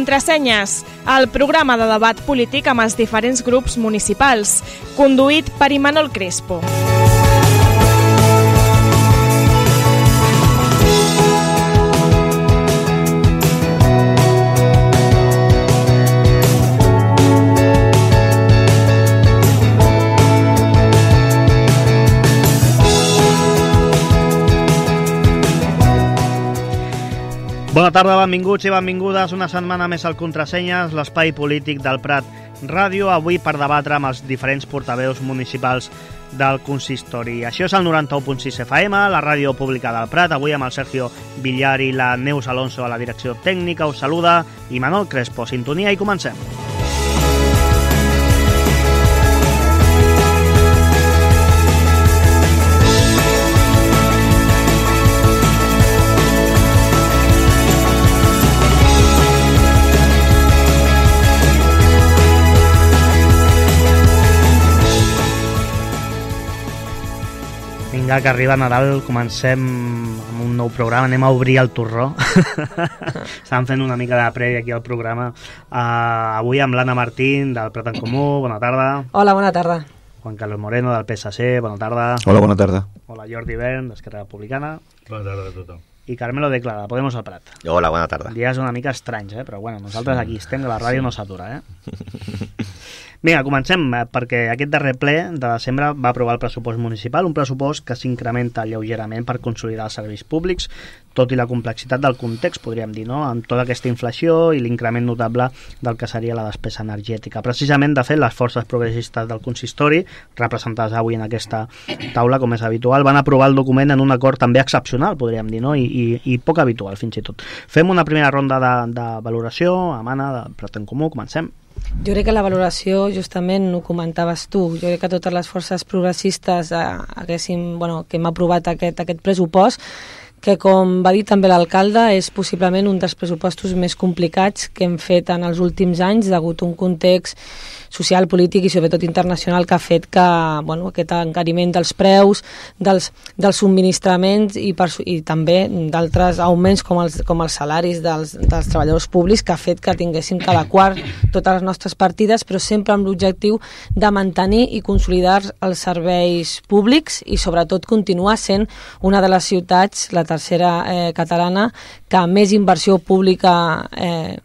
Contrasenyes, el programa de debat polític amb els diferents grups municipals, conduït per Imanol Crespo. Bona tarda, benvinguts i benvingudes una setmana més al Contrasenyes, l'espai polític del Prat Ràdio, avui per debatre amb els diferents portaveus municipals del consistori. Això és el 91.6 FM, la ràdio pública del Prat, avui amb el Sergio Villar i la Neus Alonso a la direcció tècnica. Us saluda Imanol Crespo. Sintonia i comencem. Vinga, que arriba Nadal, comencem amb un nou programa, anem a obrir el torró. Estàvem fent una mica de prèvia aquí al programa. Avui amb l'Anna Martín, del Prat en Comú, bona tarda. Hola, bona tarda. Juan Carlos Moreno, del PSC, bona tarda. Hola, bona tarda. Hola, Jordi Bern, d'Esquerra Republicana. Bona tarda a tothom. I Carmelo Declara, Podemos al Prat. Hola, bona tarda. Dies una mica estranys, però bueno, nosaltres aquí estem, que la ràdio no s'atura, Vinga, comencem, perquè aquest darrer ple de desembre va aprovar el pressupost municipal, un pressupost que s'incrementa lleugerament per consolidar els serveis públics, tot i la complexitat del context, podríem dir, no?, amb tota aquesta inflació i l'increment notable del que seria la despesa energètica. Precisament, de fet, les forces progressistes del consistori, representades avui en aquesta taula, com és habitual, van aprovar el document en un acord també excepcional, podríem dir, no?, i poc habitual, fins i tot. Fem una primera ronda de valoració, amb Anna, del Prat en Comú, comencem. Jo crec que la valoració, justament, ho comentaves tu. Jo crec que totes les forces progressistes que hem aprovat aquest pressupost, que, com va dir també l'alcalde, és possiblement un dels pressupostos més complicats que hem fet en els últims anys, degut a un context social, polític i sobretot internacional que ha fet que aquest encariment dels preus, dels subministraments i també d'altres augments com els salaris dels treballadors públics, que ha fet que tinguéssim que adequar totes les nostres partides, però sempre amb l'objectiu de mantenir i consolidar els serveis públics i sobretot continuar sent una de les ciutats, la tercera catalana, que més inversió pública,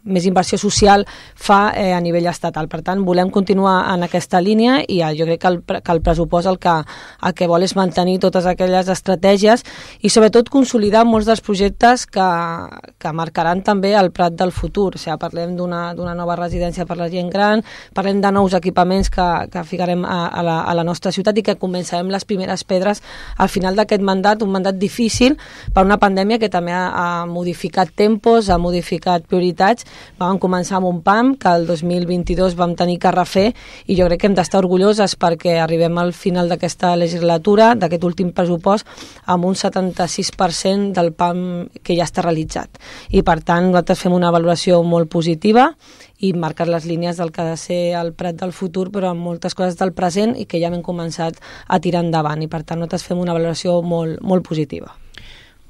més inversió social fa a nivell estatal. Per tant, volem continuar en aquesta línia i jo crec que el pressupost el que vol és mantenir totes aquelles estratègies i sobretot consolidar molts dels projectes que marcaran també el Prat del futur. O sigui, parlem d'una nova residència per la gent gran, parlem de nous equipaments que ficarem a la nostra ciutat i que començarem les primeres pedres al final d'aquest mandat, un mandat difícil per una pandèmia que també ha modificat tempos, ha modificat prioritats. Vam començar amb un PAM que el 2022 vam tenir que refer i jo crec que hem d'estar orgulloses perquè arribem al final d'aquesta legislatura, d'aquest últim pressupost, amb un 76% del PAM que ja està realitzat. I per tant nosaltres fem una valoració molt positiva i marcar les línies del que ha de ser el Prat del futur, però amb moltes coses del present i que ja hem començat a tirar endavant. I per tant nosaltres fem una valoració molt, molt positiva.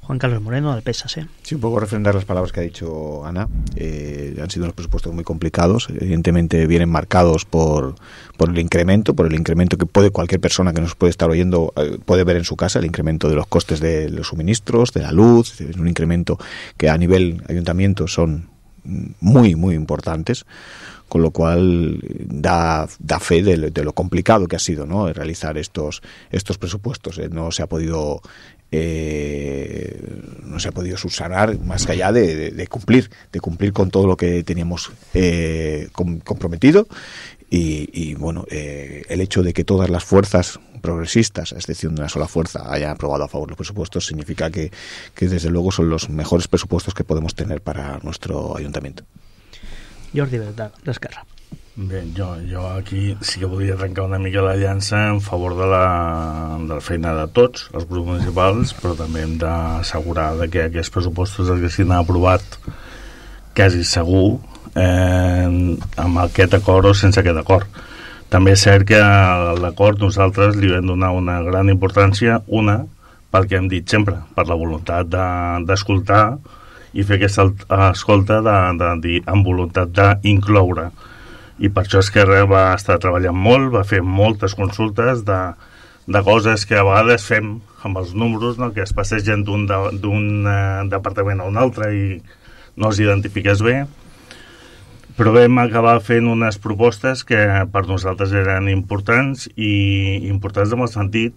Juan Carlos Moreno, del PSC. Sí, un poco refrendar las palabras que ha dicho Ana. Han sido unos presupuestos muy complicados. Evidentemente vienen marcados por el incremento que puede cualquier persona que nos puede estar oyendo puede ver en su casa, el incremento de los costes de los suministros, de la luz. Es un incremento que a nivel ayuntamiento son muy, muy importantes, con lo cual da fe de lo complicado que ha sido, ¿no?, realizar estos presupuestos. No se ha podido subsanar más allá de cumplir con todo lo que teníamos comprometido y el hecho de que todas las fuerzas progresistas, a excepción de una sola fuerza, hayan aprobado a favor los presupuestos significa que desde luego son los mejores presupuestos que podemos tener para nuestro ayuntamiento. Jordi Bern, d'Esquerra. Bé, jo aquí sí que volia arrencar una mica la llança en favor de la feina de tots els grups municipals, però també hem d'assegurar que aquests pressupostos haguessin aprovat quasi segur amb aquest acord o sense aquest acord. També és cert que a l'acord nosaltres li vam donar una gran importància, pel que hem dit sempre, per la voluntat d'escoltar i fer aquesta escolta de dir, amb voluntat d'incloure. I per això Esquerra va estar treballant molt, va fer moltes consultes de coses que a vegades fem amb els números, no? Que es passegen d'un departament a un altre i no els identifiques bé, però vam acabar fent unes propostes que per nosaltres eren importants, i importants en el sentit,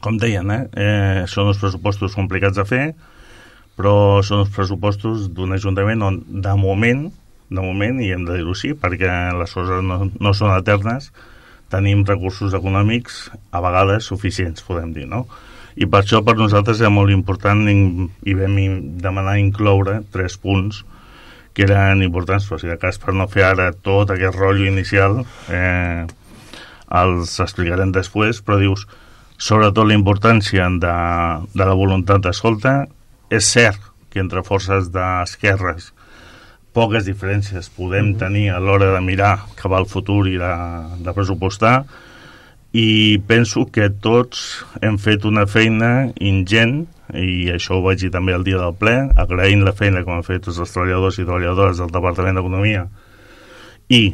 com deien, són uns pressupostos complicats de fer, però són uns pressupostos d'un ajuntament on de moment, i hem de dir-ho així, perquè les coses no són eternes, tenim recursos econòmics a vegades suficients, podem dir, no? I per això per nosaltres era molt important i vam demanar incloure 3 punts que eren importants, però si de cas per no fer ara tot aquest rotllo inicial els explicarem després, però dius, sobretot la importància de la voluntat d'escolta. És cert que entre forces d'esquerres poques diferències podem tenir a l'hora de mirar cap al futur i de pressupostar, i penso que tots hem fet una feina ingent, i això ho vaig dir també el dia del ple, agraint la feina que han fet tots els treballadors i treballadores del Departament d'Economia i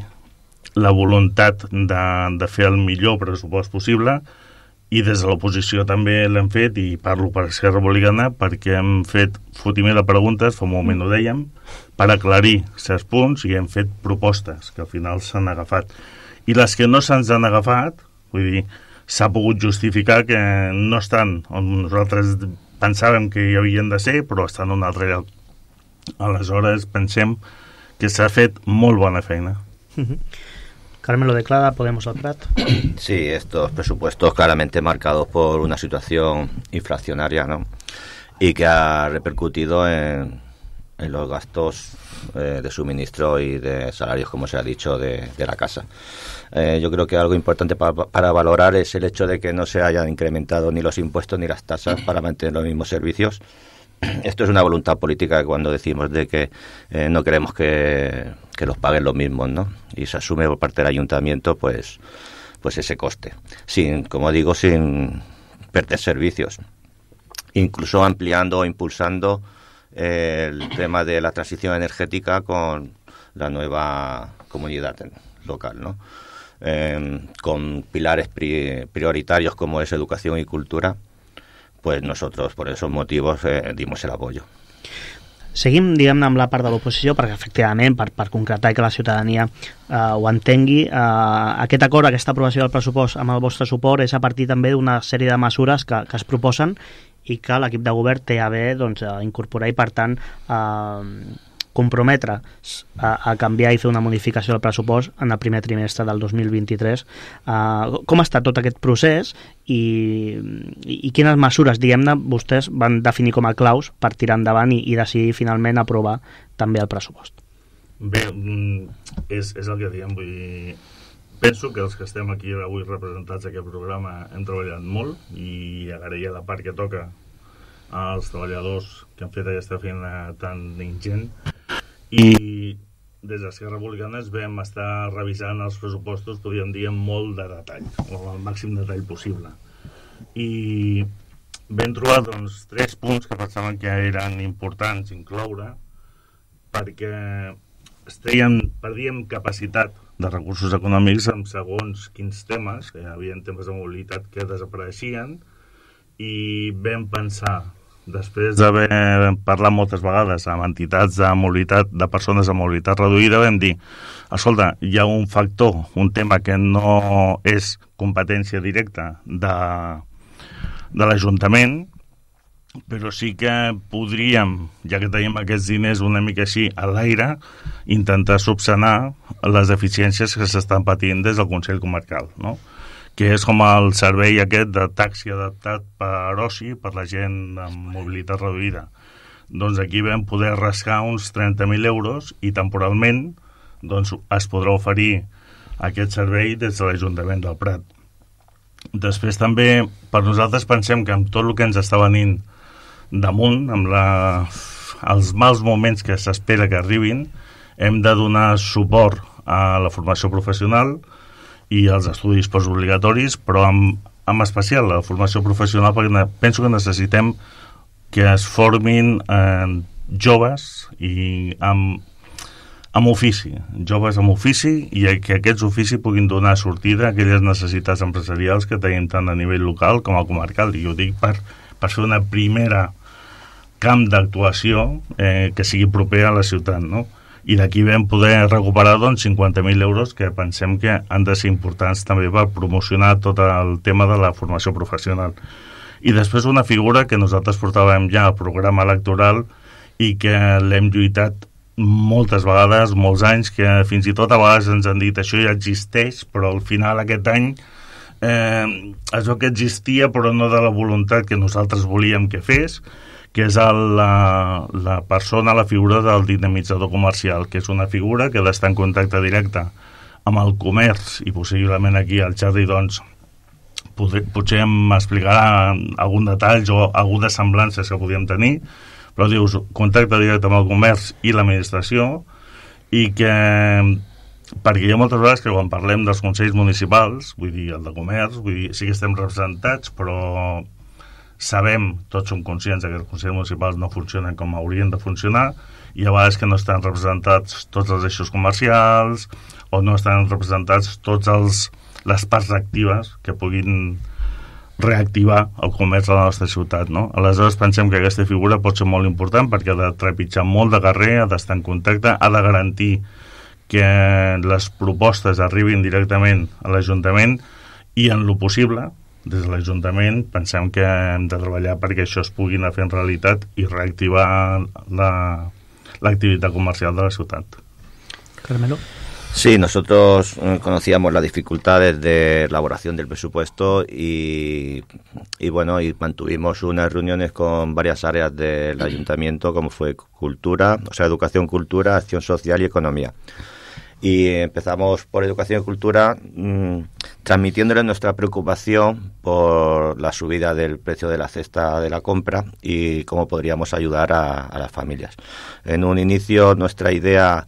la voluntat de fer el millor pressupost possible, i des de l'oposició també l'hem fet, i parlo per Esquerra Republicana perquè hem fet fotiment de preguntes, fa un moment ho dèiem, per aclarir certs punts, i hem fet propostes que al final s'han agafat, i les que no se'ns han agafat, vull dir, s'ha pogut justificar que no estan on nosaltres pensàvem que hi havien de ser, però estan en un altre lloc. Aleshores pensem que s'ha fet molt bona feina. Carmen lo declara, Podemos al Prat. Sí, estos presupuestos claramente marcados por una situación inflacionaria, ¿no? Y que ha repercutido en los gastos de suministro y de salarios, como se ha dicho, de la casa. Yo creo que algo importante para valorar es el hecho de que no se hayan incrementado ni los impuestos ni las tasas para mantener los mismos servicios. Esto es una voluntad política, cuando decimos de que no queremos que los paguen los mismos, ¿no? Y se asume por parte del ayuntamiento pues ese coste, como digo, sin perder servicios, incluso ampliando o impulsando el tema de la transición energética con la nueva comunidad local, ¿no? Con pilares prioritarios como es educación y cultura, pues nosotros per esos motivos dimos el apoyo. Seguim, diguem-ne, amb la part de l'oposició, perquè efectivament, per concretar i que la ciutadania ho entengui, aquest acord, aquesta aprovació del pressupost amb el vostre suport és a partir també d'una sèrie de mesures que es proposen i que l'equip de govern té a bé incorporar, i per tant comprometre a canviar i fer una modificació del pressupost en el primer trimestre del 2023. Com està tot aquest procés i quines mesures, diguem-ne, vostès van definir com a claus per tirar endavant i decidir finalment aprovar també el pressupost? Bé, és el que diem, vull dir, penso que els que estem aquí avui representats a aquest programa hem treballat molt, i agrair la part que toca als treballadors que han fet aquesta feina tan ingent, i des d'Esquerra Republicana vam estar revisant els pressupostos, podríem dir, amb molt de detall, o el màxim detall possible, i vam trobar 3 punts que pensaven que eren importants incloure, perquè perdíem capacitat de recursos econòmics en segons quins temes, que hi havia temes de mobilitat que desapareixien, i vam pensar, després d'haver parlat moltes vegades amb entitats de mobilitat, de persones amb mobilitat reduïda, vam dir, escolta, hi ha un factor, un tema que no és competència directa de l'Ajuntament, però sí que podríem, ja que tenim aquests diners una mica així a l'aire, intentar subsanar les deficiències que s'estan patint des del Consell Comarcal, no? Que és com el servei aquest de taxi adaptat per oci, per la gent amb mobilitat reduïda. Doncs aquí vam poder rascar uns 30.000 euros i temporalment es podrà oferir aquest servei des de l'Ajuntament del Prat. Després també, per nosaltres pensem que amb tot el que ens està venint damunt, amb els mals moments que s'espera que arribin, hem de donar suport a la formació professional i als estudis postobligatoris, però en especial la formació professional, perquè penso que necessitem que es formin joves i amb ofici, joves amb ofici, i que aquests oficis puguin donar sortida a aquelles necessitats empresarials que tenim tant a nivell local com a comarcal. I ho dic per fer una primera camp d'actuació que sigui proper a la ciutat, no? I d'aquí vam poder recuperar 50.000 euros que pensem que han de ser importants també per promocionar tot el tema de la formació professional. I després una figura que nosaltres portàvem ja al programa electoral i que l'hem lluitat moltes vegades, molts anys, que fins i tot a vegades ens han dit això ja existeix, però al final aquest any es veu que existia però no de la voluntat que nosaltres volíem que fes, que és la persona, la figura del dinamitzador comercial, que és una figura que ha d'estar en contacte directe amb el comerç, i possiblement aquí al Xarri doncs potser m'explicarà algun detall o algunes semblances que podíem tenir, però dius contacte directe amb el comerç i l'administració, i que perquè hi ha moltes vegades que quan parlem dels consells municipals, vull dir, el de comerç, vull dir, sí que estem representats, però sabem, tots som conscients que els consells municipals no funcionen com haurien de funcionar, i a vegades que no estan representats tots els eixos comercials o no estan representats tots les parts actives que puguin reactivar el comerç a la nostra ciutat, no? Aleshores pensem que aquesta figura pot ser molt important perquè ha de trepitjar molt de carrer, ha d'estar en contacte, ha de garantir que les propostes arribin directament a l'Ajuntament, i en lo possible des de l'Ajuntament pensem que hem de treballar perquè això es pugui anar fent realitat i reactivar l'activitat comercial de la ciutat. Carmelo. Sí, nosotros conocíamos las dificultades de elaboración del presupuesto y bueno, y mantuvimos unas reuniones con varias áreas del ayuntamiento, como fue cultura, o sea, educación, cultura, acción social y economía. Y empezamos por educación y cultura transmitiéndole nuestra preocupación por la subida del precio de la cesta de la compra y cómo podríamos ayudar a las familias. En un inicio nuestra idea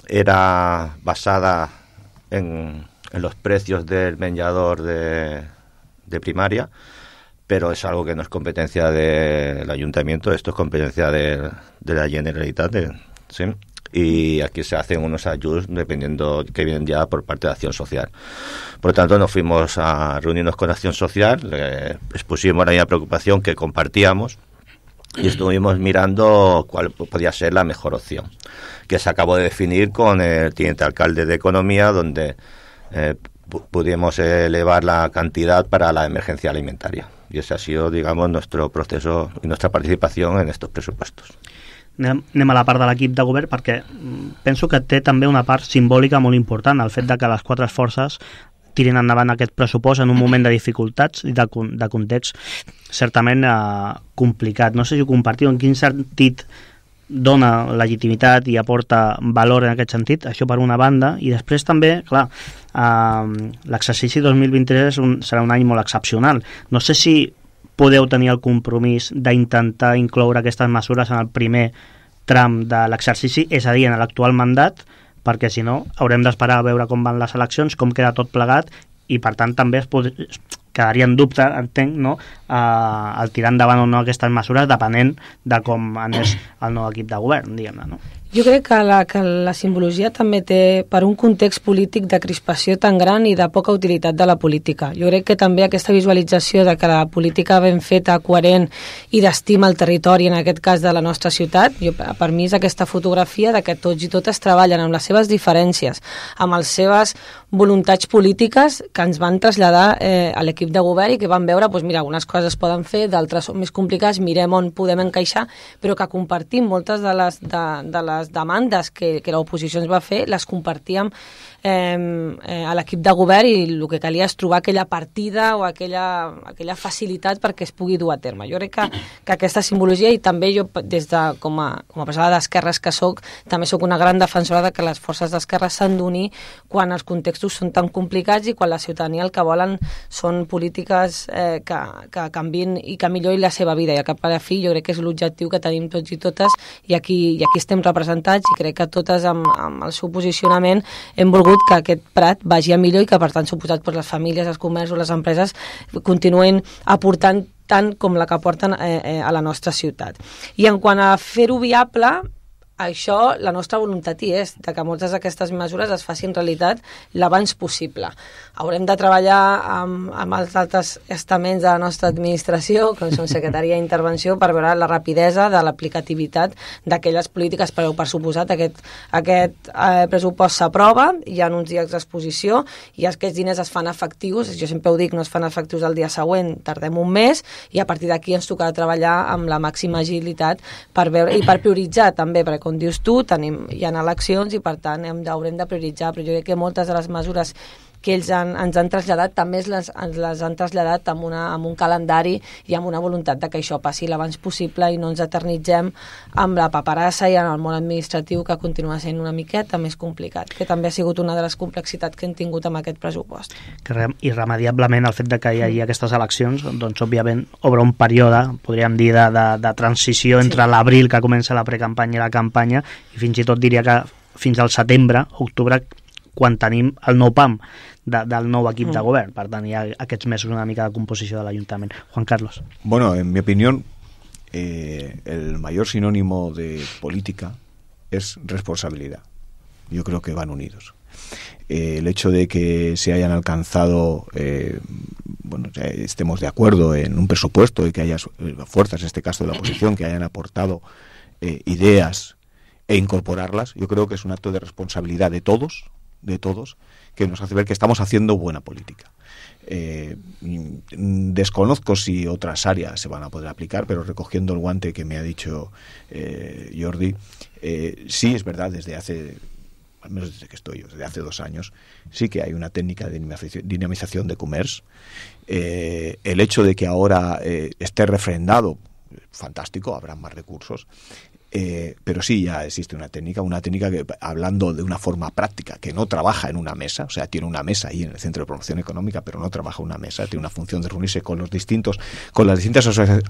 era basada en los precios del menjador de primaria, pero es algo que no es competencia del ayuntamiento, esto es competencia de la Generalitat, ¿sí? Y aquí se hacen unos ajustes dependiendo que vienen ya por parte de Acción Social. Por lo tanto, nos fuimos a reunirnos con Acción Social, le expusimos la misma preocupación que compartíamos y estuvimos mirando cuál podía ser la mejor opción, que se acabó de definir con el teniente alcalde de Economía, donde pudimos elevar la cantidad para la emergencia alimentaria. Y ese ha sido, digamos, nuestro proceso y nuestra participación en estos presupuestos. Anem a la part de l'equip de govern, perquè penso que té també una part simbòlica molt important, el fet de que les quatre forces tirin endavant aquest pressupost en un moment de dificultats i de context certament complicat. No sé si ho compartiu, en quin sentit dona legitimitat i aporta valor en aquest sentit, això per una banda, i després també, clar, l'exercici 2023 serà un any molt excepcional. No sé si podeu tenir el compromís d'intentar incloure aquestes mesures en el primer tram de l'exercici, és a dir, en l'actual mandat, perquè si no haurem d'esperar a veure com van les eleccions, com queda tot plegat, i per tant també quedaria en dubte, entenc, no? El tirar endavant o no aquestes mesures depenent de com anés el nou equip de govern, diguem-ne, no? Jo crec que la simbologia també té, per un context polític de crispació tan gran i de poca utilitat de la política. Jo crec que també aquesta visualització de que la política ben feta, coherent i d'estima al territori, en aquest cas de la nostra ciutat, per mi és aquesta fotografia de que tots i totes treballen amb les seves diferències, amb les seves voluntats polítiques que ens van traslladar a l'equip de govern i que van veure, doncs mira, algunes coses es poden fer, d'altres són més complicades, mirem on podem encaixar, però que compartim moltes de les demandes que l'oposició ens va fer, les compartíem a l'equip de govern, i el que calia és trobar aquella partida o aquella facilitat perquè es pugui dur a terme. Jo crec que aquesta simbologia, i també jo des de com a persona d'esquerres que soc, també soc una gran defensora de que les forces d'esquerra s'han d'unir quan els contextos són tan complicats i quan la ciutadania el que volen són polítiques que canviïn i que millorin la seva vida, i al cap a la fi jo crec que és l'objectiu que tenim tots i totes, i aquí estem representats, i crec que totes amb el seu posicionament hem volgut que aquest Prat vagi a millor i que per tant suposat les famílies, els comerços, les empreses continuen aportant tant com la que porten a la nostra ciutat. I en quant a fer-ho viable, això, la nostra voluntat hi és, de que moltes d'aquestes mesures es facin realitat l'abans possible. Haurem de treballar amb els altres estaments de la nostra administració, com són Secretaria d'Intervenció, per veure la rapidesa de l'aplicativitat d'aquelles polítiques, però per suposat aquest pressupost s'aprova, hi ha uns dies d'exposició i aquests diners es fan efectius, jo sempre ho dic, no es fan efectius el dia següent, tardem un mes i a partir d'aquí ens tocarà treballar amb la màxima agilitat per veure i per prioritzar també, perquè com dius tu, hi ha eleccions i per tant haurem de prioritzar, però jo crec que moltes de les mesures que ells ens han traslladat també les han traslladat amb un calendari i amb una voluntat de que això passi l'abans possible i no ens eternitzem amb la paperassa i en el món administratiu que continua sent una miqueta més complicat, que també ha sigut una de les complexitats que hem tingut amb aquest pressupost. Que irremediablement el fet de que hi hagi aquestes eleccions, doncs òbviament obre un període, podríem dir, de transició entre l'abril que comença la precampanya i la campanya i fins i tot diria que fins al setembre, octubre, quan tenim el nou PAM del nou equip de govern. Per tant, hi ha aquests mesos una mica de composició de l'Ajuntament. Juan Carlos. Bueno, en mi opinión, el mayor sinónimo de política es responsabilidad. Yo creo que van unidos. El hecho de que se hayan alcanzado, estemos de acuerdo en un presupuesto y que haya fuerzas, en este caso de la oposición, que hayan aportado ideas e incorporarlas, yo creo que es un acto de responsabilidad de todos, que nos hace ver que estamos haciendo buena política. Desconozco si otras áreas se van a poder aplicar, pero recogiendo el guante que me ha dicho Jordi, sí es verdad, desde hace, al menos desde que estoy yo, desde hace 2 años, sí que hay una técnica de dinamización de comercio. El hecho de que ahora esté refrendado, fantástico, habrá más recursos. Pero sí ya existe una técnica que, hablando de una forma práctica, que no trabaja en una mesa, o sea, tiene una mesa ahí en el Centro de Promoción Económica, pero no trabaja en una mesa, tiene una función de reunirse con las distintas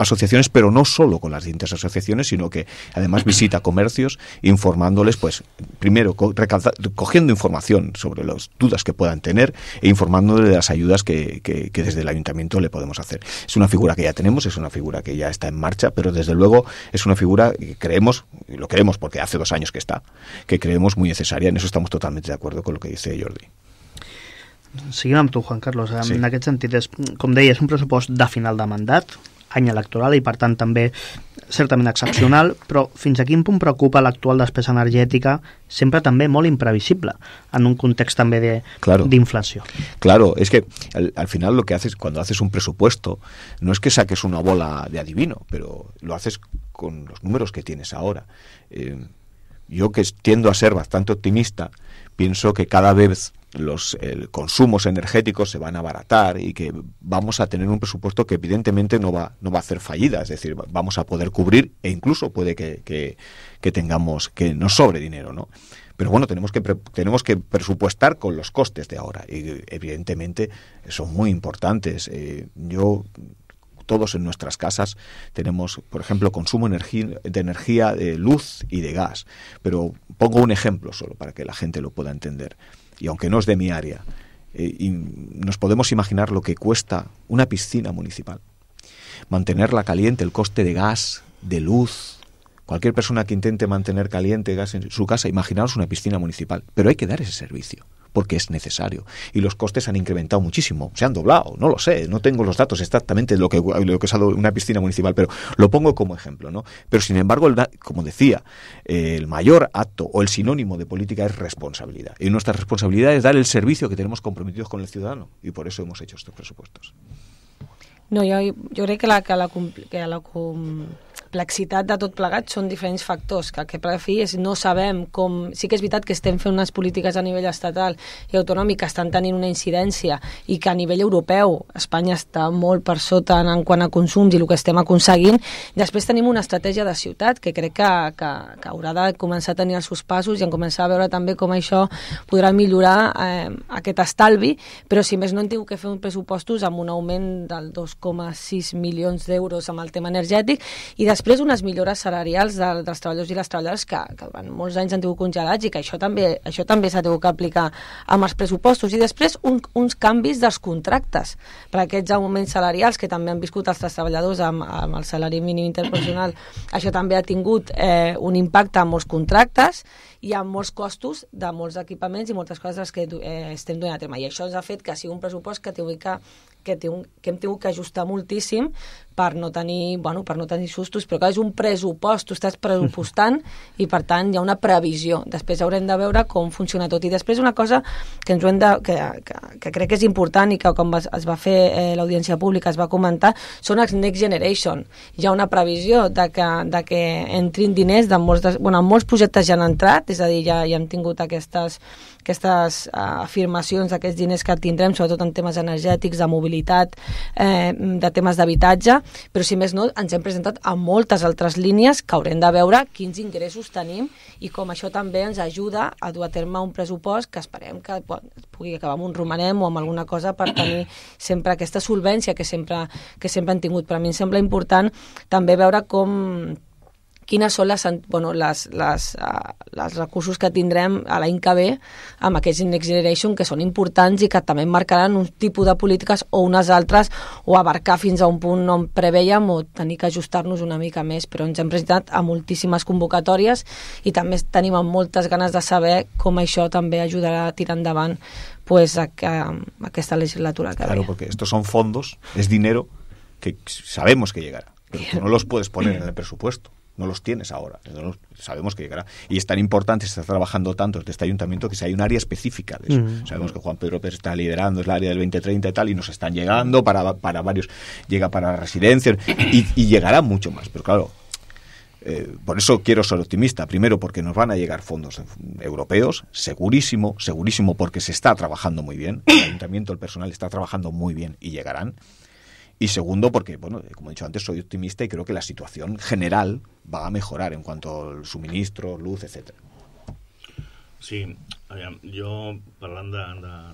asociaciones, pero no solo con las distintas asociaciones, sino que además visita comercios, informándoles, pues, primero cogiendo información sobre las dudas que puedan tener e informándoles de las ayudas que desde el Ayuntamiento le podemos hacer. Es una figura que ya tenemos, es una figura que ya está en marcha, pero desde luego es una figura que creemos, y lo creemos porque hace 2 años que está, que creemos muy necesaria. En eso estamos totalmente de acuerdo con lo que dice Jordi. Seguim amb tu, Juan Carlos. Sí. En aquest sentit, com deia, és un pressupost de final de mandat, any electoral, i per tant també certament excepcional, però fins a quin punt preocupa l'actual despesa energètica, sempre també molt imprevisible, en un context també d'inflació? Claro, es que al final lo que haces cuando haces un presupuesto no es que saques una bola de adivino, pero lo haces con los números que tienes ahora. Yo, que tiendo a ser bastante optimista, pienso que cada vez los consumos energéticos se van a abaratar y que vamos a tener un presupuesto que evidentemente no va a hacer fallida, es decir, vamos a poder cubrir e incluso puede que tengamos, que nos sobre dinero, ¿no? Pero bueno, tenemos que presupuestar con los costes de ahora y evidentemente son muy importantes. Todos en nuestras casas tenemos, por ejemplo, consumo de energía, de luz y de gas. Pero pongo un ejemplo solo para que la gente lo pueda entender. Y aunque no es de mi área, y nos podemos imaginar lo que cuesta una piscina municipal. Mantenerla caliente, el coste de gas, de luz. Cualquier persona que intente mantener caliente gas en su casa, imaginaos una piscina municipal. Pero hay que dar ese servicio, porque es necesario. Y los costes han incrementado muchísimo, se han doblado, no lo sé, no tengo los datos exactamente de lo que es una piscina municipal, pero lo pongo como ejemplo, ¿no? Pero sin embargo, como decía, el mayor acto o el sinónimo de política es responsabilidad. Y nuestra responsabilidad es dar el servicio que tenemos comprometidos con el ciudadano. Y por eso hemos hecho estos presupuestos. No, jo crec que la complexitat de tot plegat són diferents factors, que per fi no sabem com... Sí que és veritat que estem fent unes polítiques a nivell estatal i autonòmic que estan tenint una incidència i que a nivell europeu Espanya està molt per sota en quant a consums i el que estem aconseguint. Després tenim una estratègia de ciutat que crec que haurà de començar a tenir els seus passos i en començar a veure també com això podrà millorar aquest estalvi, però si més no hem tingut que fer uns pressupostos amb un augment del 2,6 milions d'euros amb el tema energètic i després unes millores salarials dels treballadors i les treballadores que durant molts anys han tingut congelats i que això també s'ha tingut que aplicar amb els pressupostos. I després uns canvis dels contractes per aquests augments salarials que també han viscut els treballadors amb el salari mínim interprofessional. Això també ha tingut un impacte en molts contractes i amb molts costos de molts equipaments i moltes coses que estem duent a terme. I això ens ha fet que sigui un pressupost que hem tingut que ajustar moltíssim per no tenir sustos, però que és un pressupost, tu estàs pressupostant i per tant hi ha una previsió. Després haurem de veure com funciona tot. I després una cosa que que crec que és important i que com es va fer l'audiència pública es va comentar, són els Next Generation. Hi ha una previsió de que entrin diners de molts projectes ja han entrat, és a dir, ja hem tingut aquestes afirmacions d'aquests diners que tindrem, sobretot en temes energètics, de mobilitat, de temes d'habitatge, però si més no, ens hem presentat a moltes altres línies que haurem de veure quins ingressos tenim i com això també ens ajuda a dur a terme un pressupost que esperem que pugui acabar amb un romanem o amb alguna cosa per tenir sempre aquesta solvència que sempre han tingut. Per a mi em sembla important també veure quines són els recursos que tindrem a l'any que ve amb aquests Next Generation, que són importants i que també marcaran un tipus de polítiques o unes altres, o abarcar fins a un punt on preveiem o tenir que ajustar-nos una mica més. Però ens hem presentat a moltíssimes convocatòries i també tenim moltes ganes de saber com això també ajudarà a tirar endavant aquesta legislatura que ve. Claro, porque estos son fondos, es dinero que sabemos que llegará, pero tú no los puedes poner en el presupuesto. No los tienes ahora, sabemos que llegará. Y es tan importante, se está trabajando tanto desde este ayuntamiento que si hay un área específica de eso. Sabemos que Juan Pedro Pérez está liderando, es el área del 2030 y tal, y nos están llegando para varios, llega para residencias y llegará mucho más. Pero claro, por eso quiero ser optimista. Primero, porque nos van a llegar fondos europeos, segurísimo, porque se está trabajando muy bien. El ayuntamiento, el personal está trabajando muy bien y llegarán. Y segundo, porque, bueno, como he dicho antes, soy optimista y creo que la situación general va a mejorar en cuanto al suministro, luz, etcétera. Sí, jo parlant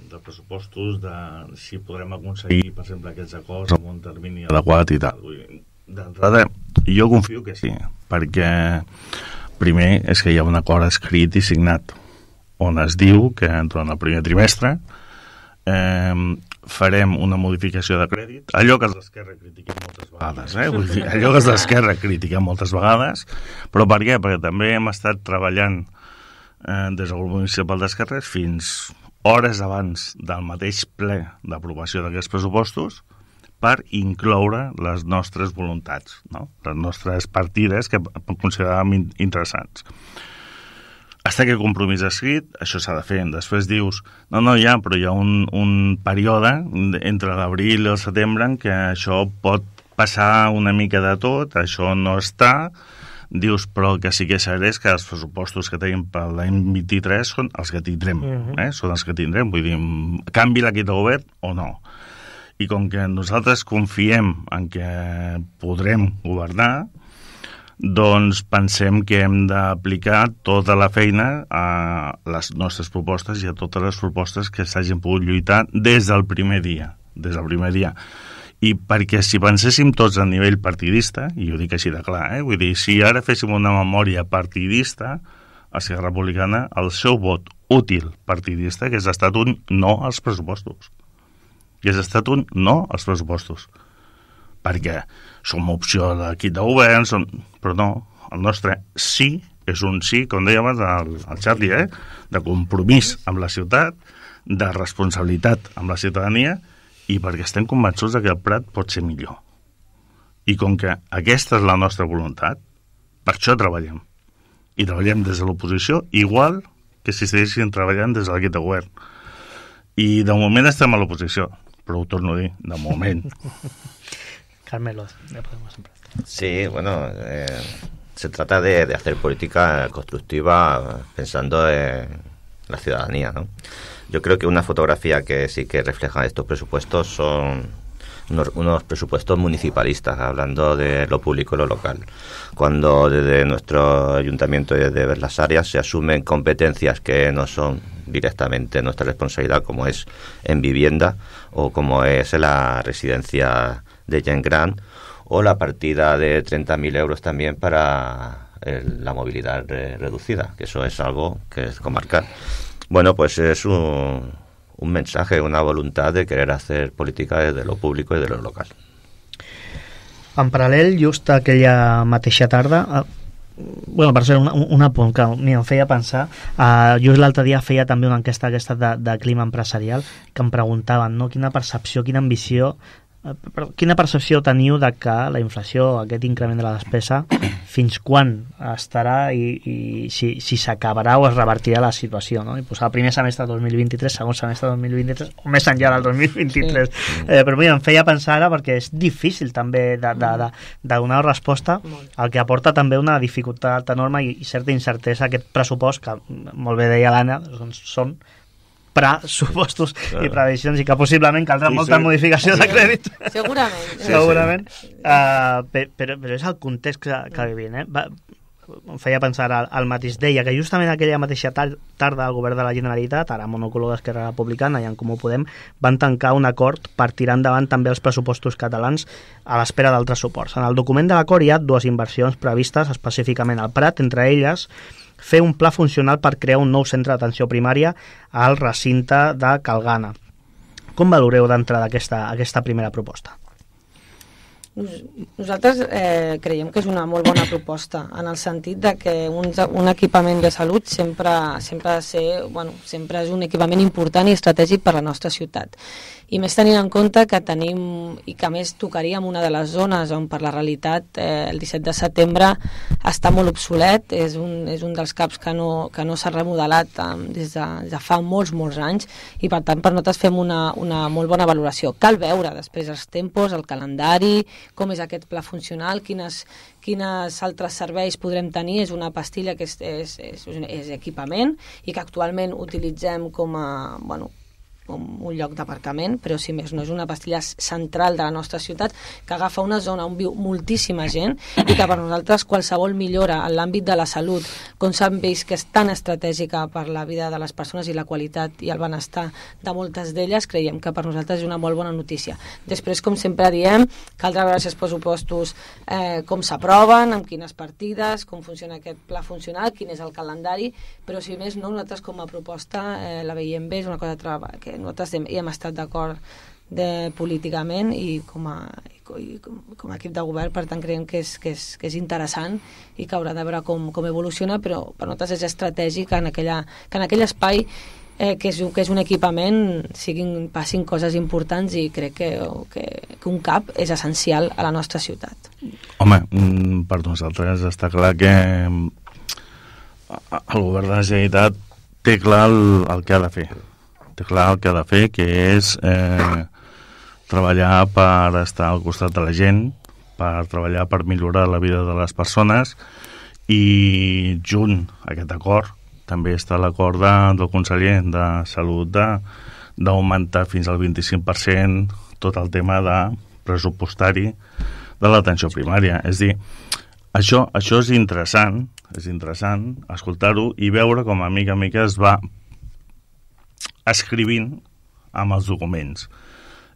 de pressupostos, de si podrem aconseguir, per exemple, aquests acords amb un termini adequat i tal. D'entrada, jo confio que sí, perquè primer és que hi ha un acord escrit i signat on es diu que durant el primer trimestre farem una modificació de crèdit, allò que els d'Esquerra critiquem moltes vegades, vull dir, allò que els d'Esquerra critiquem moltes vegades, però per què? Perquè també hem estat treballant des del grup municipal d'Esquerres fins hores abans del mateix ple d'aprovació d'aquests pressupostos per incloure les nostres voluntats, no? Les nostres partides que consideràvem interessants. Hasta que el compromís escrit, això s'ha de fer. Després dius, però hi ha un període entre l'abril i el setembre en què això pot passar una mica de tot, això no està. Dius, però el que sí que és cert és que els pressupostos que tenim per l'any 23 són els que tindrem, són els que tindrem. Vull dir, canvi l'equip de govern o no. I com que nosaltres confiem en que podrem governar, doncs pensem que hem d'aplicar tota la feina a les nostres propostes i a totes les propostes que s'hagin pogut lluitar des del primer dia. I perquè si penséssim tots a nivell partidista, i ho dic així de clar, vull dir, si ara féssim una memòria partidista, a Esquerra Republicana, el seu vot útil partidista hagués estat un no als pressupostos. Hagués estat un no als pressupostos. Perquè som opció d'equip de govern, però no, el nostre sí és un sí, com deia abans el Charlie, de compromís amb la ciutat, de responsabilitat amb la ciutadania i perquè estem convençuts que el Prat pot ser millor. I com que aquesta és la nostra voluntat, per això treballem. I treballem des de l'oposició igual que si estiguéssim treballant des de l'equip de govern. I de moment estem a l'oposició, però ho torno a dir, de moment. Carmelo, ya podemos empezar. Sí, bueno, se trata de hacer política constructiva pensando en la ciudadanía, ¿no? Yo creo que una fotografía que sí que refleja estos presupuestos son unos presupuestos municipalistas, hablando de lo público y lo local. Cuando desde nuestro ayuntamiento y desde las áreas se asumen competencias que no son directamente nuestra responsabilidad, como es en vivienda o como es en la residencia de gent gran o la partida de 30.000 euros también para la movilidad reducida, que eso es algo que es comarcal. Bueno, pues es un mensaje, una voluntad de querer hacer política desde lo público y de lo local. En paral·lel, just aquella mateixa tarda, bueno, per ser un apunt que em feia pensar, just l'altre dia feia també una enquesta aquesta de clima empresarial, que em preguntaven, no, quina percepció teniu de que la inflació, aquest increment de la despesa, fins quan estarà i si s'acabarà o es revertirà la situació, no? I posar el primer semestre del 2023, segon semestre del 2023, o més enllà del 2023. Però mira, em feia pensar ara, perquè és difícil també de donar resposta, el que aporta també una dificultat enorme i certa incertesa aquest pressupost, que molt bé deia l'Anna, són pressupostos i previsions i que possiblement caldrà molta modificació de crèdit. Segurament. Però és el context que vivim. Em feia pensar el mateix. Deia que justament aquella mateixa tarda el govern de la Generalitat, ara monocolor d'Esquerra Republicana i en Comú Podem, van tancar un acord per tirar endavant també els pressupostos catalans a l'espera d'altres suports. En el document de l'acord hi ha 2 inversions previstes específicament al Prat, entre elles fer un pla funcional per crear un nou centre d'atenció primària al recinte de Calgana. Com valoreu d'entrada aquesta primera proposta? Nosaltres creiem que és una molt bona proposta, en el sentit de que un equipament de salut sempre ha de ser, sempre és un equipament important i estratègic per a la nostra ciutat. I més tenint en compte que tenim, i que més tocaríem una de les zones on per la realitat el 17 de setembre està molt obsolet, és un dels CAPs que no s'ha remodelat des de fa molts anys, i per tant per nosaltres fem una molt bona valoració. Cal veure després els tempos, el calendari, com és aquest pla funcional, quines altres serveis podrem tenir. És una pastilla que és equipament i que actualment utilitzem com un lloc d'aparcament, però si més no és una pastilla central de la nostra ciutat que agafa una zona on viu moltíssima gent i que per nosaltres qualsevol millora en l'àmbit de la salut, com s'han vist que és tan estratègica per la vida de les persones i la qualitat i el benestar de moltes d'elles, creiem que per nosaltres és una molt bona notícia. Després, com sempre diem, caldrà veure si els pressupostos com s'aproven, amb quines partides, com funciona aquest pla funcional, quin és el calendari, però si més no, nosaltres com a proposta la veiem bé, és una cosa que nosaltres hi hem estat d'acord políticament i com a equip de govern, per tant creiem que és interessant i que haurà de veure com evoluciona, però per nosaltres és estratègic que en aquell espai que és un equipament passin coses importants, i crec que un CAP és essencial a la nostra ciutat. Home, per nosaltres està clar que el govern de la Generalitat té clar el que ha de fer. Té clar el que ha de fer, que és treballar per estar al costat de la gent, per treballar per millorar la vida de les persones, i junt a aquest acord també està l'acord del conseller de Salut d'augmentar fins al 25% tot el tema de pressupostari de l'atenció primària. És a dir, això és interessant escoltar-ho i veure com a mica es va escrivint amb els documents.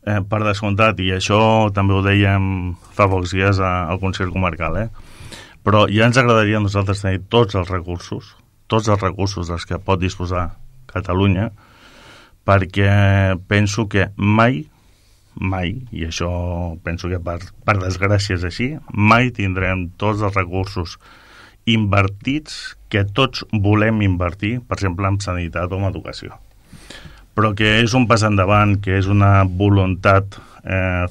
Per descomptat, i això també ho dèiem fa pocs dies al Consell Comarcal, però ja ens agradaria a nosaltres tenir tots els recursos dels que pot disposar Catalunya, perquè penso que mai, i això penso que per desgràcia és així, mai tindrem tots els recursos invertits que tots volem invertir, per exemple, en sanitat o en educació. Però que és un pas endavant, que és una voluntat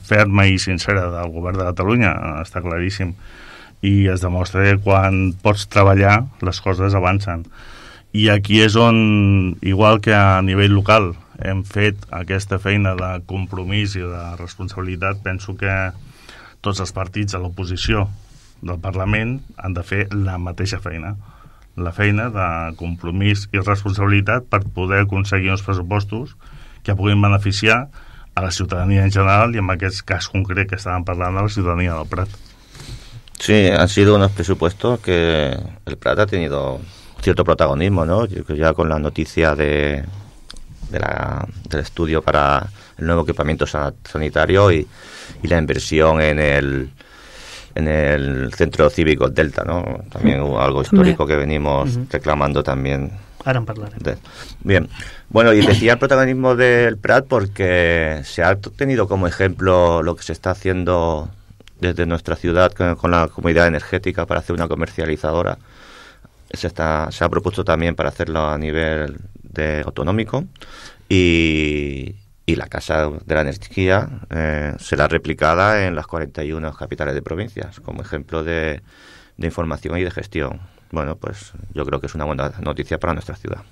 ferma i sincera del govern de Catalunya, està claríssim, i es demostra que quan pots treballar les coses avancen. I aquí és on, igual que a nivell local hem fet aquesta feina de compromís i de responsabilitat, penso que tots els partits de l'oposició del Parlament han de fer la mateixa feina, la feina de compromís i responsabilitat per poder aconseguir uns pressupostos que puguin beneficiar a la ciutadania en general, y en aquest cas concret que estaban parlando, a la ciudadanía del Prat. Sí, han sido unos presupuestos que el Prat ha tenido cierto protagonismo, ¿no? Yo creo ya con la noticia del estudio para el nuevo equipamiento sanitario y la inversión en en el Centro Cívico Delta, ¿no? También algo histórico que venimos reclamando también. Ahora en hablarem. Bien, bueno, y decía el protagonismo del Prat porque se ha tenido como ejemplo lo que se está haciendo desde nuestra ciudad con la comunidad energética para hacer una comercializadora. Se ha propuesto también para hacerlo a nivel autonómico y la Casa de la Energía será replicada en las 41 capitales de provincias como ejemplo de información y de gestión. Bueno, pues yo creo que es una buena noticia para nuestra ciudad.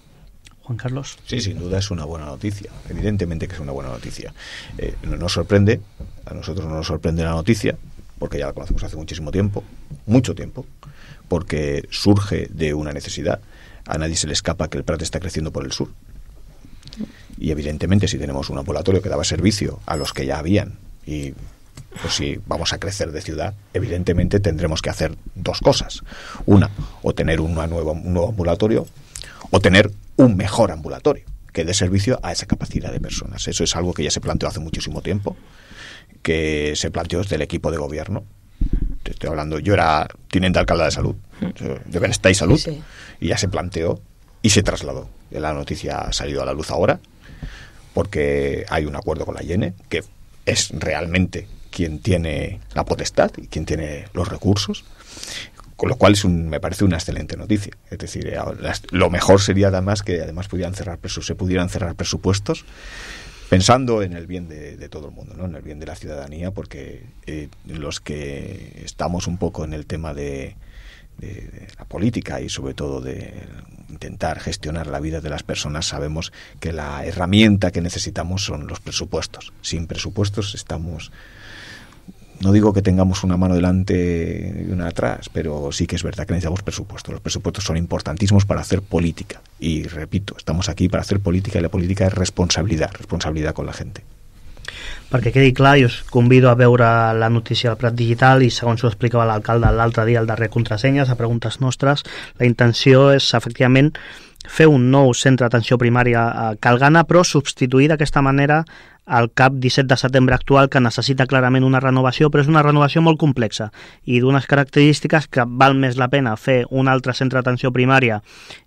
Juan Carlos. Sí, sin duda es una buena noticia. Evidentemente que es una buena noticia. No nos sorprende, a nosotros no nos sorprende la noticia, porque ya la conocemos hace muchísimo tiempo, mucho tiempo, porque surge de una necesidad. A nadie se le escapa que el Prat está creciendo por el sur. Y evidentemente si tenemos un ambulatorio que daba servicio a los que ya habían y pues si vamos a crecer de ciudad, evidentemente tendremos que hacer dos cosas. Una, o tener un nuevo ambulatorio, o tener un mejor ambulatorio que dé servicio a esa capacidad de personas. Eso es algo que ya se planteó hace muchísimo tiempo, que se planteó desde el equipo de gobierno. Te estoy hablando, yo era teniente alcalde de salud, de Bienestar y Salud, sí. Y ya se planteó y se trasladó. La noticia ha salido a la luz ahora, porque hay un acuerdo con la IENE, que es realmente quien tiene la potestad y quien tiene los recursos, con lo cual me parece una excelente noticia. Es decir, lo mejor sería además que se pudieran cerrar presupuestos pensando en el bien de todo el mundo, ¿no? En el bien de la ciudadanía, porque los que estamos un poco en el tema de la política y sobre todo de intentar gestionar la vida de las personas sabemos que la herramienta que necesitamos son los presupuestos. Sin presupuestos estamos... No digo que tengamos una mano delante y una atrás, pero sí que es verdad que necesitamos presupuestos. Los presupuestos son importantísimos para hacer política. Y repito, estamos aquí para hacer política y la política es responsabilidad con la gente. Perquè quedi clar, jo us convido a veure la notícia del Prat Digital i segons ho explicava l'alcalde l'altre dia al darrer Contrasenyes, a preguntes nostres, la intenció és efectivament fer un nou centre d'atenció primària a Calgana, però substituir d'aquesta manera el CAP 17 de setembre actual, que necessita clarament una renovació, però és una renovació molt complexa i d'unes característiques que val més la pena fer un altre centre d'atenció primària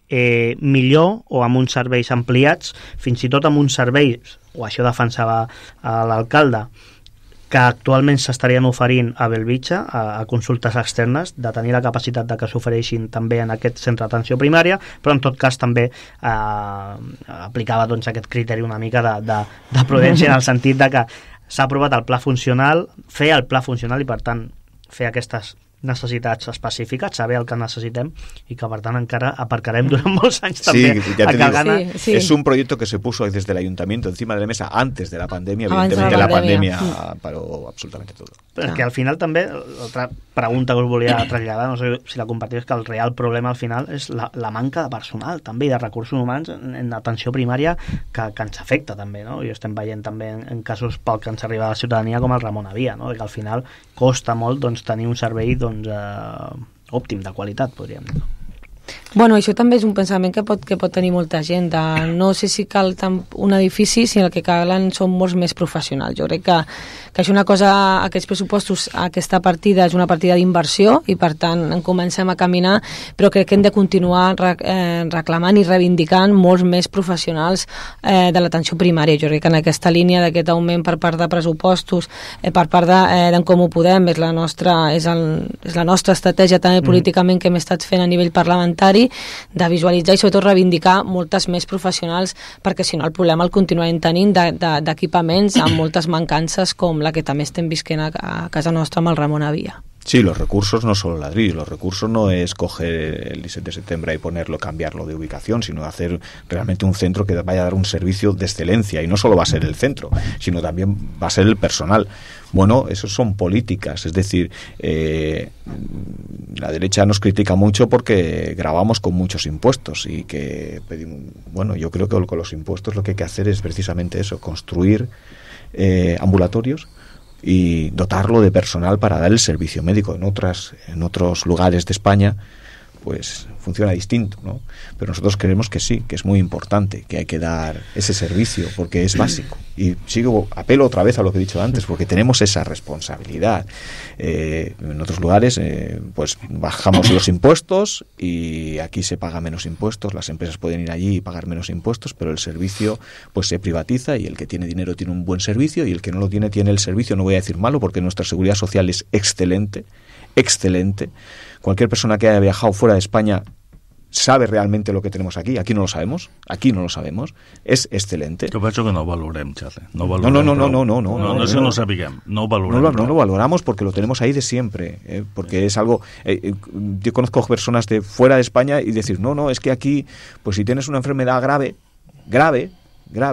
millor o amb uns serveis ampliats, fins i tot amb uns serveis, o això defensava l'alcalde, que actualment s'estarien oferint a Bellvitge, a consultes externes, de tenir la capacitat de que s'ofereixin també en aquest centre d'atenció primària, però en tot cas també aplicava doncs, aquest criteri una mica de prudència en el sentit de que s'ha aprovat el pla funcional, fer el pla funcional i per tant fer aquestes necessitats específiques, saber el que necessitem y que per tant encara aparcarem durant molts anys també a Calgana. Sí. Es un proyecto que se puso desde el ayuntamiento encima de la mesa antes de la pandemia, evidentemente la pandemia paró absolutamente todo. Però és que al final també, l'altra pregunta que us volia traslladar, no sé si la compartiu, és que el real problema al final és la manca de personal també i de recursos humans en atenció primària que ens afecta també, no? I estem veient també en casos pel que ens arriba a la ciutadania com el Ramon Avia, no? Que al final costa molt tenir un servei òptim, de qualitat, podríem dir. Bueno, això també és un pensament que pot tenir molta gent. No sé si cal tant un edifici, sinó el que calen són molts més professionals. Jo crec que és una cosa, aquests pressupostos, aquesta partida és una partida d'inversió i per tant en comencem a caminar, però crec que hem de continuar reclamant i reivindicant molts més professionals de l'atenció primària. Jo crec que en aquesta línia d'aquest augment per part de pressupostos, per part d'en Comú Podem, és la nostra estratègia també políticament que hem estat fent a nivell parlamentari, de visualitzar i sobretot reivindicar moltes més professionals, perquè si no el problema el continuarem tenint d'equipaments amb moltes mancances com la que també estem visquent a casa nostra amb el Ramon Avia. Sí, los recursos no solo ladrillos, los recursos no es coger el 17 de septiembre y ponerlo, cambiarlo de ubicación, sino hacer realmente un centro que vaya a dar un servicio de excelencia, y no solo va a ser el centro, sino también va a ser el personal. Bueno, eso son políticas, es decir, la derecha nos critica mucho porque grabamos con muchos impuestos y que pedimos, bueno, yo creo que con los impuestos lo que hay que hacer es precisamente eso, construir ambulatorios y dotarlo de personal para dar el servicio médico. En otros lugares de España pues funciona distinto, ¿no? Pero nosotros creemos que sí, que es muy importante, que hay que dar ese servicio porque es básico. Y apelo otra vez a lo que he dicho antes, porque tenemos esa responsabilidad. En otros lugares pues bajamos los impuestos y aquí se paga menos impuestos, las empresas pueden ir allí y pagar menos impuestos, pero el servicio pues se privatiza y el que tiene dinero tiene un buen servicio y el que no lo tiene el servicio, no voy a decir malo, porque nuestra seguridad social es excelente. Cualquier persona que haya viajado fuera de España sabe realmente lo que tenemos aquí. Aquí no lo sabemos. Es excelente. Jo penso que no ho valorem, Charlie. No, No sé, no sapiguem. No ho valorem. No lo valoramos porque lo tenemos ahí de siempre. Porque es algo... yo conozco personas de fuera de España y decir, no, es que aquí, pues si tienes una enfermedad grave,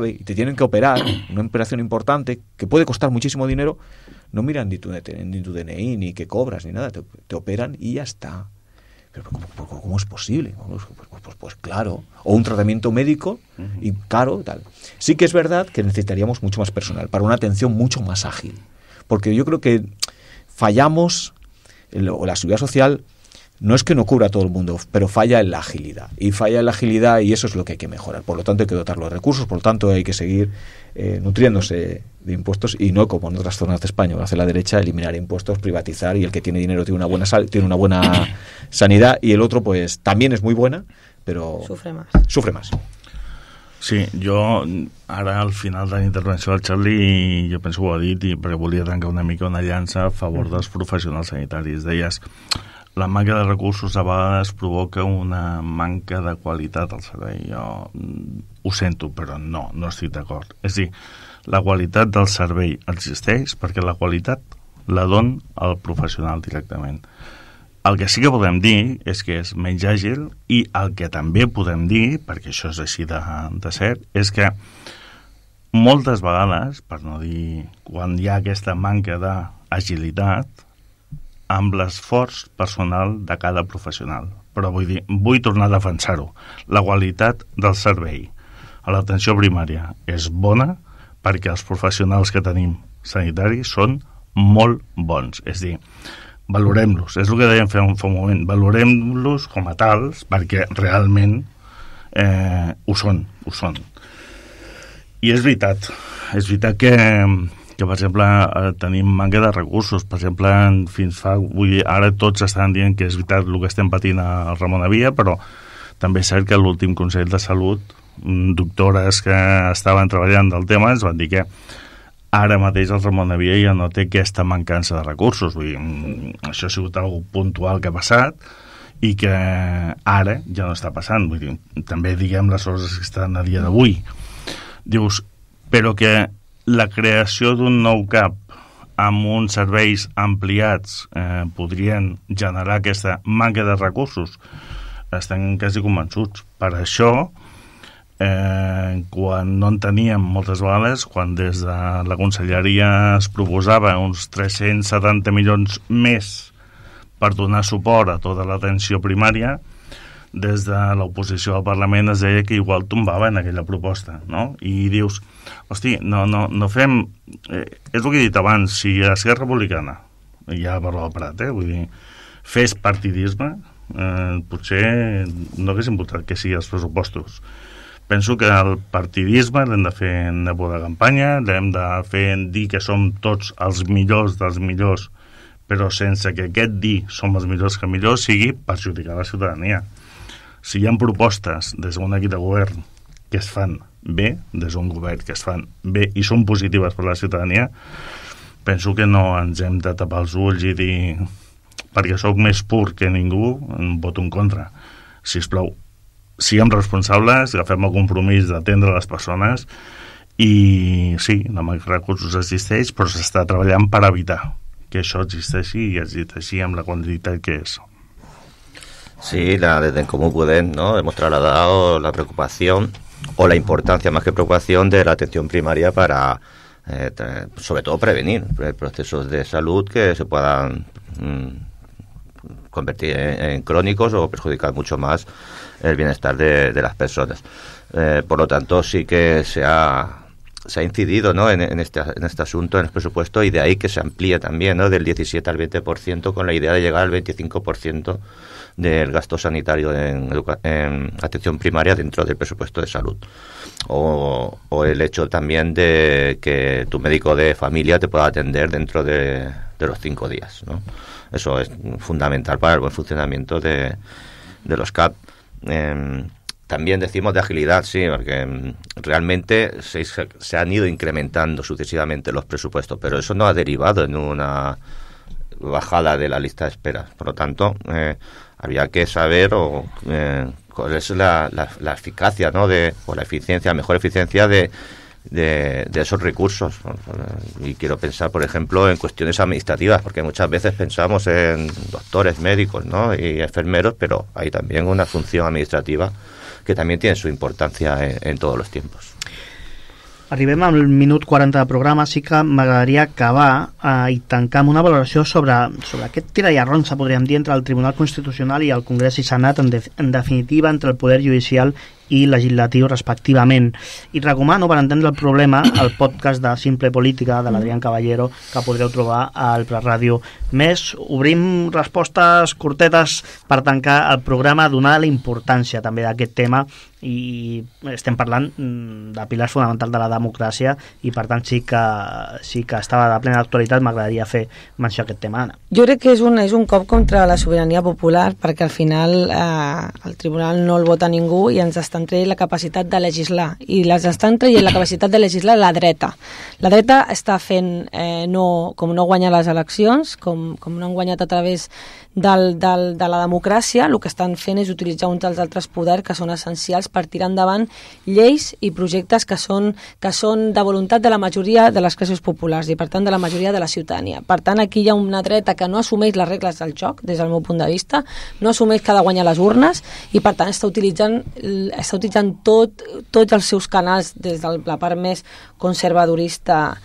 y te tienen que operar, una operación importante, que puede costar muchísimo dinero, no miran ni tu DNI, ni qué cobras, ni nada, te operan y ya está. Pero ¿cómo es posible? Pues claro, o un tratamiento médico y caro, tal. Sí que es verdad que necesitaríamos mucho más personal para una atención mucho más ágil, porque yo creo que fallamos, o la seguridad social no es que no cubra a todo el mundo, pero falla en la agilidad. Y eso es lo que hay que mejorar. Por lo tanto, hay que dotar los recursos, por lo tanto, hay que seguir nutriéndose de impuestos y no como en otras zonas de España, hacer la derecha, eliminar impuestos, privatizar y el que tiene dinero tiene una buena sanidad y el otro pues también es muy buena, però sufre más. Sí, jo ara al final de la intervenció del Charlie jo penso que ho ha dit perquè volia tancar una mica una llança a favor dels professionals sanitaris. Deies, la manca de recursos a vegades provoca una manca de qualitat al servei. Jo ho sento, però no estic d'acord. És a dir, la qualitat del servei existeix perquè la qualitat la don el professional directament. El que sí que podem dir és que és menys àgil i el que també podem dir, perquè això és així de cert, és que moltes vegades, per no dir quan hi ha aquesta manca d'agilitat, amb l'esforç personal de cada professional. Però vull tornar a defensar-ho. La qualitat del servei a l'atenció primària és bona perquè els professionals que tenim sanitaris són molt bons. És a dir, valorem-los. És el que dèiem fa un moment. Valorem-los com a tals perquè realment ho són. I és veritat que per exemple tenim manca de recursos. Per exemple, ara tots estan dient que és veritat el que estem patint a Ramon Avia, però també és cert que l'últim Consell de Salut, doctores que estaven treballant del tema ens van dir que ara mateix el Ramon Avia ja no té aquesta mancança de recursos. Vull dir, això ha sigut algo puntual que ha passat i que ara ja no està passant. Vull dir, també diguem les coses que estan a dia d'avui. Dius, però que la creació d'un nou CAP amb uns serveis ampliats podrien generar aquesta manca de recursos, estem quasi convençuts. Per això, quan no en teníem moltes vegades, quan des de la conselleria es proposava uns 370 milions més per donar suport a tota l'atenció primària, des de l'oposició al Parlament es deia que igual tombaven aquella proposta, no? I dius, hosti, no fem... és el que he dit abans, si Esquerra Republicana, ja parlo del Prat, vull dir, fes partidisme, potser no haguéssim votat que sigui els pressupostos. Penso que el partidisme l'hem de fer en època de campanya, l'hem de fer en dir que som tots els millors dels millors, però sense que aquest dir som els millors que millors sigui perjudicar la ciutadania. Si hi ha propostes des d'un equip de govern que es fan bé, des d'un govern que es fan bé i són positives per a la ciutadania, penso que no ens hem de tapar els ulls i dir perquè sóc més pur que ningú, em voto en contra. Sisplau, siguem responsables, agafem el compromís d'atendre les persones i sí, la manca de recursos existeix, però s'està treballant per evitar que això existeixi i existeixi amb la quantitat que és. Sí, desde En Comú Podem, ¿no? Hemos trasladado la preocupación o la importancia más que preocupación de la atención primaria para, sobre todo, prevenir procesos de salud que se puedan convertir en crónicos o perjudicar mucho más el bienestar de las personas. Por lo tanto, sí que se ha se ha incidido, ¿no?, en este asunto, en el presupuesto, y de ahí que se amplíe también, ¿no?, del 17 al 20%, con la idea de llegar al 25% del gasto sanitario en atención primaria dentro del presupuesto de salud. O el hecho también de que tu médico de familia te pueda atender dentro de los 5 días, ¿no? Eso es fundamental para el buen funcionamiento de los CAP. También decimos de agilidad, sí, porque realmente se han ido incrementando sucesivamente los presupuestos, pero eso no ha derivado en una bajada de la lista de espera. Por lo tanto, había que saber cuál es la eficacia, ¿no?, o la eficiencia, mejor eficiencia de esos recursos. Y quiero pensar, por ejemplo, en cuestiones administrativas, porque muchas veces pensamos en doctores, médicos, ¿no?, y enfermeros, pero hay también una función administrativa que també té su importància en tots els tiempos. Arribem al minut 40 de programa, sí que m'agradaria acabar i tancar amb una valoració sobre aquest tira i arronsa, podríem dir, entre el Tribunal Constitucional i el Congrés i Senat, en definitiva entre el Poder Judicial i Legislatiu respectivament. I recomano, per entendre el problema, el podcast de Simple Política de l'Adrián Caballero, que podreu trobar al Preràdio Més. Obrim respostes curtetes per tancar el programa, donar la importància també d'aquest tema, i estem parlant de pilars fonamentals de la democràcia, i per tant sí que estava de plena actualitat. M'agradaria fer menció a aquest tema, Anna. Jo crec que és un cop contra la sobirania popular, perquè al final el tribunal no el vota ningú i ens estan traient la capacitat de legislar, i les estan traient la capacitat de legislar la dreta. La dreta està fent, com no guanya les eleccions, com no han guanyat a través de la democràcia, el que estan fent és utilitzar uns dels altres poders que són essencials per tirar endavant lleis i projectes que són de voluntat de la majoria de les classes populars i per tant de la majoria de la ciutadania. Per tant, aquí hi ha una dreta que no assumeix les regles del joc, des del meu punt de vista, no assumeix que ha de guanyar les urnes, i per tant està utilitzant tots els seus canals, des de la part més conservadorista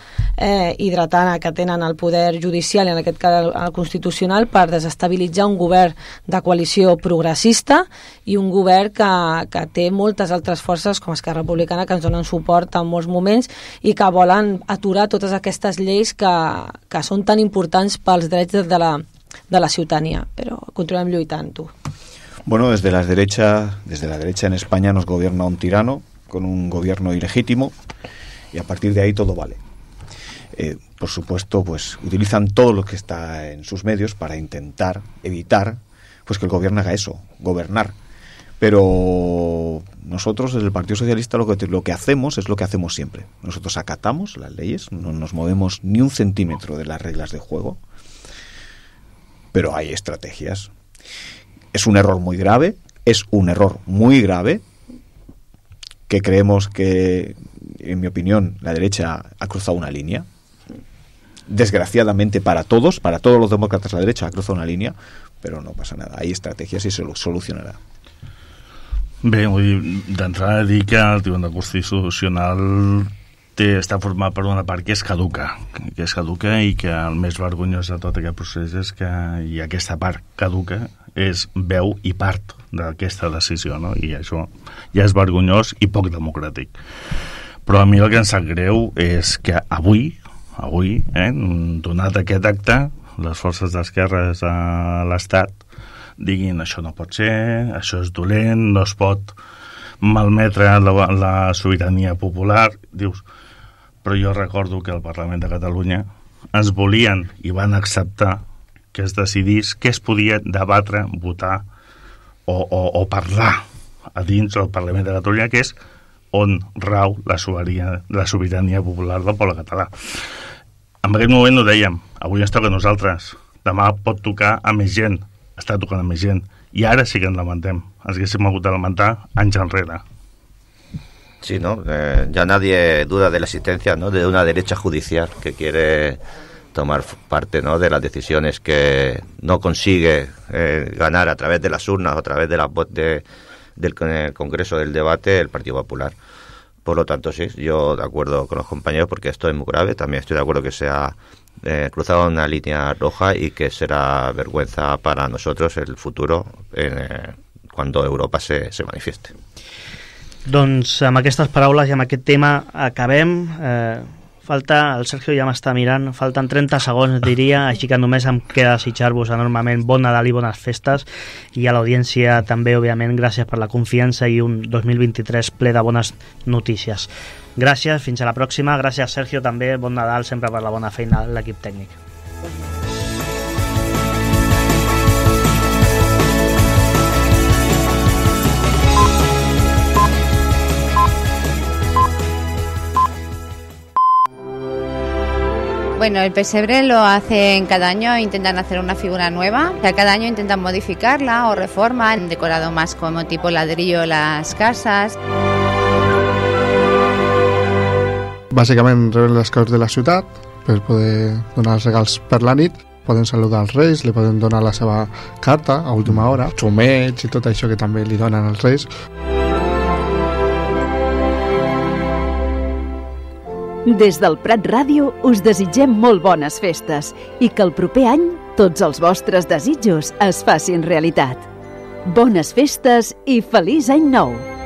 i dretana que tenen el poder judicial i en aquest cas el constitucional, per desestabilitzar un govern de coalició progressista i un govern que té moltes altres forces com Esquerra Republicana que ens donen suport en molts moments i que volen aturar totes aquestes lleis que són tan importants pels drets de la ciutadania. Però continuem lluitant, tu. Bueno, desde la derecha en España nos gobierna un tirano con un gobierno ilegítimo y a partir de ahí todo vale. Por supuesto, pues utilizan todo lo que está en sus medios para intentar evitar pues que el gobierno haga eso, gobernar. Pero nosotros desde el Partido Socialista lo que hacemos es lo que hacemos siempre. Nosotros acatamos las leyes, no nos movemos ni un centímetro de las reglas de juego, pero hay estrategias. Es un error muy grave, que creemos que, en mi opinión, la derecha ha cruzado una línea. Desgraciadamente para todos los demócratas, la derecha ha cruzado una línea, pero no pasa nada, hay estrategias y se lo solucionarà. Bé, vull dir, d'entrada dir que el Tribunal Constitucional està format per una part que és caduca i que el més vergonyós de tot aquest procés és que aquesta part caduca és veu i part d'aquesta decisió, no? I això ja és vergonyós i poc democràtic. Però a mi el que em sap greu és que avui, donat aquest acte, les forces d'esquerres a l'Estat diguin això no pot ser, això és dolent, no es pot malmetre la sobirania popular. Dius, però jo recordo que al Parlament de Catalunya ens volien i van acceptar que es decidís què es podia debatre, votar o parlar a dins del Parlament de Catalunya, que és on rau la sobirania popular del poble català. En aquell moment ho dèiem, avui ens toca a nosaltres, demà pot tocar a més gent, està tocant a més gent, i ara sí que ens lamentem, ens haguéssim hagut de lamentar anys enrere. Sí, ¿no? Ya nadie duda de la existencia, ¿no?, de una derecha judicial que quiere tomar parte, ¿no?, de las decisiones que no consigue ganar a través de las urnas o a través de la voz del Congreso del debate el Partido Popular. Por lo tanto, sí, yo de acuerdo con los compañeros porque esto es muy grave. También estoy de acuerdo que se ha cruzado una línea roja y que será vergüenza para nosotros el futuro cuando Europa se manifieste. Doncs amb aquestes paraules i amb aquest tema acabem. Falta, el Sergio ja m'està mirant, falten 30 segons, diria, així que només em queda desitjar-vos enormement bon Nadal i bones festes, i a l'audiència també, òbviament, gràcies per la confiança i un 2023 ple de bones notícies. Gràcies, fins a la pròxima. Gràcies, Sergio, també, bon Nadal, sempre per la bona feina de l'equip tècnic. Bueno, el pesebre lo hacen cada año, intentan hacer una figura nueva. O sea, cada año intentan modificarla o reforman, han decorado más como tipo ladrillo las casas. Bàsicament reben les caus de la ciutat per poder donar els regals per la nit. Poden saludar els reis, li poden donar la seva carta a última hora, xumets i tot això que també li donen als reis. Des del Prat Ràdio us desitgem molt bones festes i que el proper any tots els vostres desitjos es facin realitat. Bones festes i feliç any nou!